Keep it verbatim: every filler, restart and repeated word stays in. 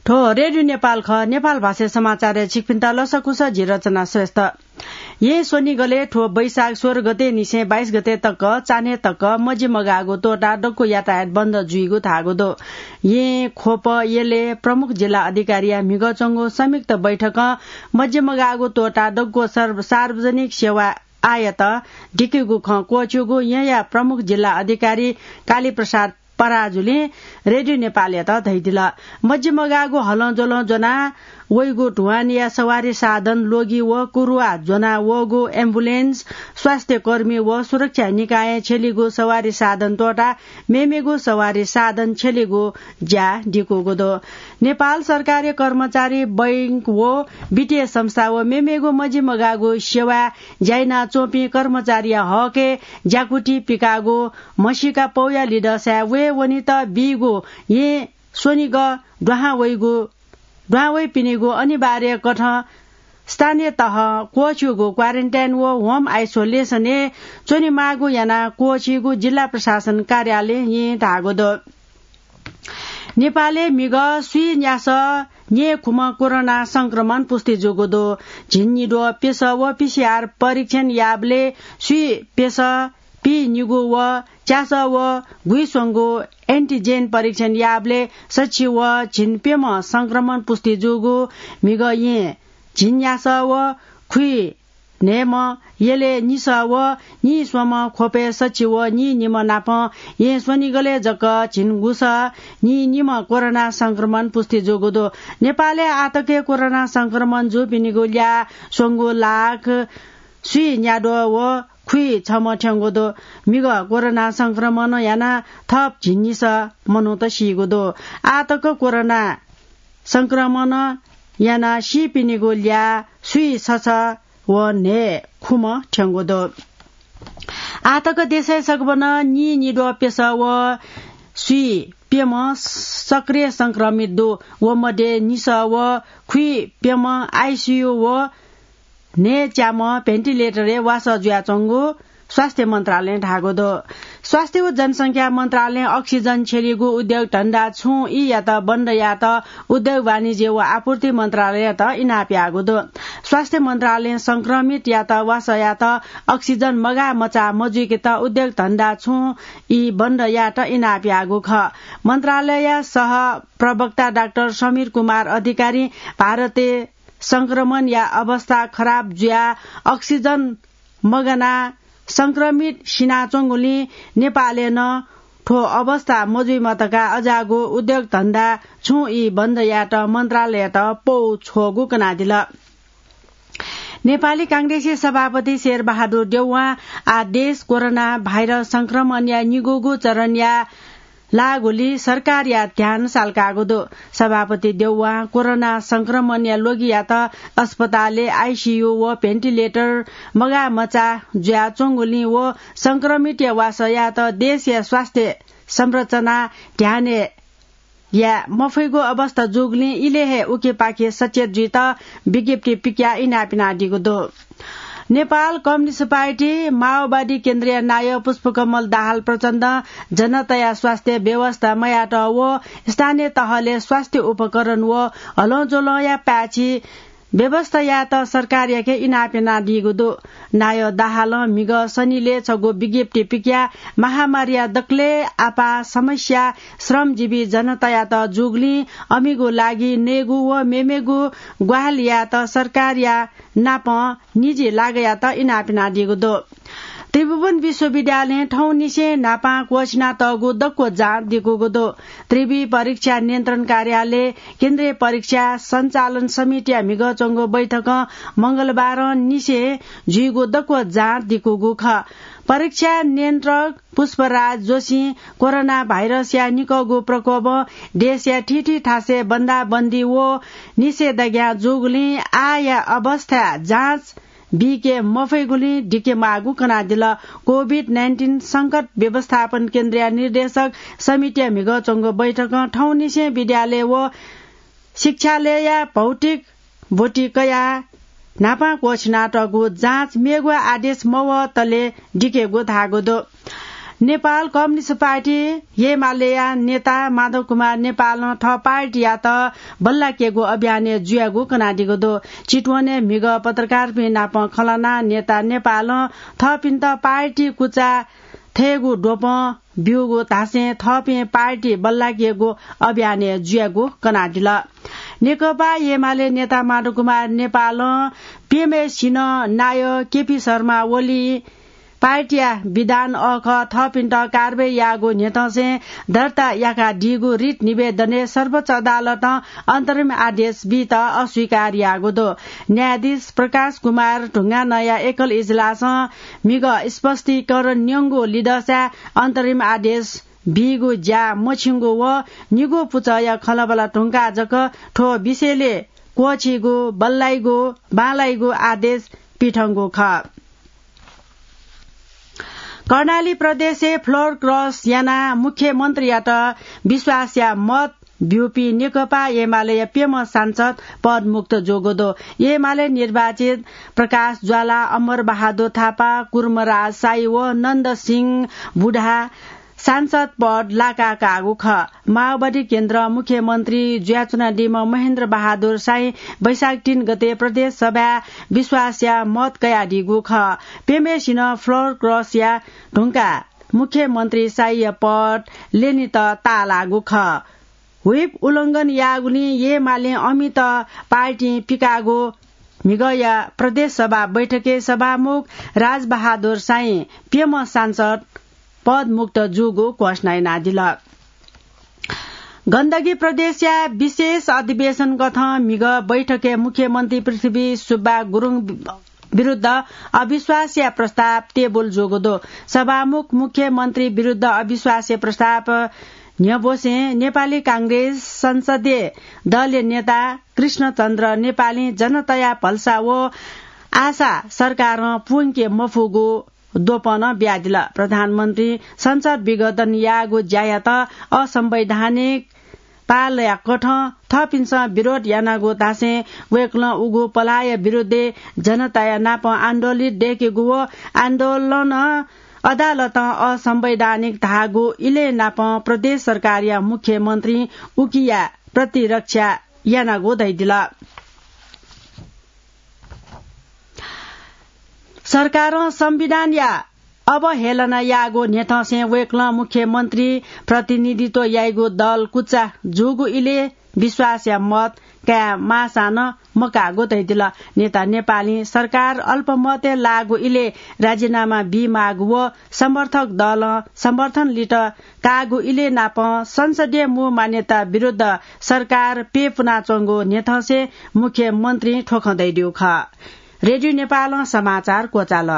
थ्व रेडियो नेपाल खः। नेपाल भाषा समाचारय् छिकपिन्त लसकुस, जि रचना श्रेष्ठ। यें स्वनिगलय् थ्व वैशाख सोह्र गते निसें बाइस गते तक चान्हय् तक मजिमगाःगु त्वःताः दक्व यातायात बन्द जुइगु धाःगु दु। यें, ख्वप, यलय् प्रमुख जिल्ला अधिकारीया म्हिगः च्वंगु संयुक्त बैठकं मजिमगाःगु त्वःताः दक्व सर्व-, सार्वजनिक सेवा आःयात दिकेगु खँ क्वःछिउगु येँया प्रमुख जिल्ला अधिकारी कालीप्रसाद पराजुलिं रेडियो नेपालयात धयादिल। मजिमगाःगु हलंज्वलं ज्वना वइगु धुवानया सवारी साधन, लोगी व कुरुवा ज्वना वःगु एम्बुलेन्स, स्वास्थ्य कर्मी व सुरक्षा निकायं छ्यलीगु सवारी साधन त्वःताः मेमेगु सवारी साधन छ्यलीगु ज्या दिकूगु दु। नेपाल सरकारी कर्मचारी, बैंक व वित्तीय संस्था व मेमेगु मजिमगाःगु सेवा ज्या यानाच्वंपिं कर्मचारीया हकय् ज्याकुथि पिकाःगु म्हसीका पौया लिधःसाय् वये वनेत बीगु यें स्वनिगः दुहां वइगु, दुहां वइपिनिगु अनिवार्य कथं स्थानीय तहं क्वःछिउगु क्वारेन्टाइन व होम आइसोलेसनय् च्वनेमाःगु यानाः क्वःछिउगु जिल्ला प्रशासन कार्यालयं धाःगु दु। नेपालय् म्हिगः स्वीन्यासः न्येखुम्ह कोरोना संक्रमण पुष्टि जूगु दु। झिंनिद्वः प्यसः व पीसीआर परीक्षण याःबलय् स्वी प्यसः, पीनिगू व च्यासः व गुइस्वंगू एन्टिजेन परीक्षण याःबलय् सछि व झिंप्यम्ह संक्रमण पुष्टि जूगु म्हिगः यें झिंन्यासः व खुइन्हय्म्ह, यलय् निसः व नीस्वम्ह, ख्वपय् सछि व नीनिम्ह नापं यें स्वनिगलय् जक झिंगुसः नीनिम्ह कोरोना संक्रमण पुष्टि जूगु दु। नेपालय् आःतक कोरोना संक्रमण जूपिनिगु ल्याः स्वंगू लाख स्वीन्याद्वः व खुइछम्ह थ्यंगु दु। म्हिगः कोरोना संक्रमण यानाः थप झिंनिसः मनूत सीगु दु। आःतक कोरोना संक्रमण यानाः सीपिनिगु ल्याः स्वीसछि व न्हय्खुम्ह थ्यंगु दु। आःतक देशय् सकभनं नीनिद्वः प्यसः व स्वीप्यम्ह सक्रिय संक्रमित दु। व मध्ये निसः व खुइप्यम्ह आइसियु व न्हय्च्याम्ह भेन्टिलेटरय् वासः जुयाच्वंगु स्वास्थ्य मन्त्रालयं धाःगु दु। स्वास्थ्य व जनसंख्या मन्त्रालयं अक्सिजन छ्यलीगु उद्योग धन्दा छुं ईयात बन्द यायेत उद्योग वाणिज्य व आपूर्ति मन्त्रालययात इनाप याःगु दु। स्वास्थ्य मन्त्रालयं संक्रमितयात वासः यायेत अक्सिजन मगाः मचाः मजुइकेत उद्योग धन्दा छुं ई बन्द यायेत इनाप याःगु खः। मन्त्रालयया सह प्रवक्ता डाक्टर समीर कुमार अधिकारीं भारतय् संक्रमणया अवस्था खराब जुयाः अक्सिजन मगानाः संक्रमित सिनाच्वंगुलिं नेपालय् नं थ्व अवस्था मजुइमा धकाः अज्याःगु उद्योग धन्दा छुं ई बन्द यायेत मन्त्रालययात पौ छ्वःगु कनादिल। नेपाली कांग्रेसया सभापति शेरबहादुर देउवां आः देश कोरोना भाइरस संक्रमणया निगूगु चरणया लाःगुलिं सरकारया ध्यान साल्काःगु दु। सभापति देउवां कोरोना संक्रमणया लोगियात अस्पतालय् आइसियु व भेन्टिलेटर मगाः मचाः जुयाच्वंगुलिं व संक्रमितया वासः यायेत देशया स्वास्थ्य संरचना ध्यानय् याये मफइगु अवस्था जूगुलिं इलय् हे उखेपाखे सचेत जुइत विज्ञप्ति पिकयाः इनाप यानादीगु दु। नेपाल कम्युनिस्ट पार्टी माओवादी केन्द्रया नायः पुष्पकमल दाहाल प्रचण्डं जनताया स्वास्थ्य व्यवस्था मयायेत व स्थानीय तहलय् स्वास्थ्य उपकरण व हलंज्वलंया पाय्छि व्यवस्था यायेत सरकारयाके इनाप यानादीगु दु। नायः दाहालं म्हिगः शनिलय् छगू विज्ञप्ति पिकयाः महामारीया दकलय् आपाः समस्या श्रमजीवी जनतायात जूगुलिं अमिगु लागि नयेगु व मेमेगु ग्वाहालि यायेत सरकारया नापं निजी लागःयात इनाप यानादीगु दु। त्रिभुवन विश्वविद्यालयं थौंनिसें न्हापां क्वःछिनातःगु दक्व जाँच दिकूगु दु। त्रिवि परीक्षा नियन्त्रण कार्यालय केन्द्रीय परीक्षा सञ्चालन समितिया म्हिगः च्वंगु बैठकं मंगलबारं निसें जुइगु दक्व जाँच दिकूगु खः। परीक्षा नियन्त्रक पुष्पराज जोशीं कोरोना भाइरसया निकःगु प्रकोपं देशया थीथी थासय् बन्दाबन्दी व निषेधाज्ञा जूगुलिं आःया अवस्थाय् जाँच बीके मफइगुलिं दिके माःगु कनादिल। कोभिड नाइन्टिन संकट व्यवस्थापन केन्द्रया निर्देशक समितिया म्हिगः च्वंगु बैठकं थौंनिसें विद्यालय व शिक्षालयया भौतिक ब्वति कयाः न्हापां क्वःछिनातःगु जाँच मेगु आदेश मवःतले दिकेगु धाःगु दु। नेपाल कम्युनिस्ट पार्टी एमालेया नेता माधव कुमार नेपालं थः पार्टीयात बल्लाकेगु अभियानय् जुयागु कनादीगु दु। चितवनय् म्हिगः पत्रकारपिं नाप खँल्हानाः नेता नेपालं थःपिन्त पार्टी कुचा थयेगु द्वपं ब्यूगु धासें थःपिं पार्टी बल्लाकेगु अभियानय् जुयागु कनादिल। नेकपा एमाले नेता माधव कुमार नेपालं प्यम्हेसिनं नायः केपी शर्मा ओली पार्टीया विधान अःखः थःपिन्त कारवाही याःगु न्ह्यथंसें दर्ता याकादीगु रिट निवेदनय् सर्वोच्च अदालतं अन्तरिम आदेश बीत अस्वीकार याःगु दु। न्यायाधीश प्रकाश कुमार ढुङ्गानाया एकल इजलासं म्हिगः स्पष्टीकरण न्यंगु लिधंसाय् अन्तरिम आदेश बीगु ज्या मछिंगु व निगू पुचःया खँल्हाबल्हा धुंकाः जक थ्व विषयलय् क्वःछीगु, बल्लाइगु, बांलाइगु आदेश पिथंगु खः। कर्णाली प्रदेशय् floor cross यानाः मुख्यमन्त्रीयात विश्वासया मत ब्यूपिं नेकपा एमालेया प्यम्ह सांसद पदमुक्त जूगु दु। एमाले निर्वाचित प्रकाश ज्वाला, अमर बहादुर थापा, कुर्मराज साई व नन्द सिंह बुढा सांसद पद लाका काःगु खः। माओवादी केन्द्र मुख्यमन्त्री जुयाच्वनादीम्ह महेन्द्र बहादुर साई वैशाख तीन गते प्रदेश सभाय् विश्वासया मत कयादीगु खः। प्यम्हेसिनं floor cross या धुंकाः मुख्यमन्त्री साईया पद ल्यनेत ताःलाःगु खः। Whip उल्लंघन याःगुलिं एमालें अमित पार्टीं पिकाःगु म्हिगःया प्रदेश सभा बैठकय् सभामुख राजबहादुर साई प्यम्ह सांसद पदमुक्त जूगु घोषणा यानादिल। गण्डकी प्रदेशया विशेष अधिवेशन कथं म्हिगः बैठकय् मुख्यमन्त्री पृथ्वी सुब्बा गुरुङ विरुद्ध अविश्वासया प्रस्ताव टेबुल जूगु दु। सभामुख मुख्यमन्त्री विरुद्ध अविश्वासया प्रस्ताव न्ह्यब्वसें नेपाली कांग्रेस संसदीय दलया नेता कृष्णचन्द्र नेपालीं जनताया भलसा व आशा सरकारं पूवंके मफुगु द्वपं नं बियादिल। प्रधानमन्त्री संसद विघटन याःगु ज्यायात असंवैधानिक पालया कथं थःपिन्सं विरोध यानागु धासें वय्कलं उगु पलाःया विरुद्धय् जनताया नाप आन्दोलित दय्केगु व आन्दोलनं अदालतं असंवैधानिक धाःगु इलय् नाप प्रदेश सरकारया मुख्यमन्त्री उकिया प्रतिरक्षा यानागु धयादिल। सरकारं संविधानया अवहेलना याःगु न्ह्यथंसें वय्कलं मुख्यमन्त्री प्रतिनिधित्व याइगु दल कुचा जूगु इलय् विश्वासया मत काये माःसां नं मकाःगु धयादिल। नेता नेपालीं सरकार अल्पमतय् लाःगु इलय् राजीनामा बीमाःगु व समर्थक दलं समर्थन लित काःगु इलय् नाप संसदीय मू मान्यता विरुद्ध सरकार प्यपुनाच्वंगु न्ह्यथंसें मुख्यमन्त्रीं थ्व खँ धयादीगु खः। रेडियो नेपालं समाचार क्वचाल।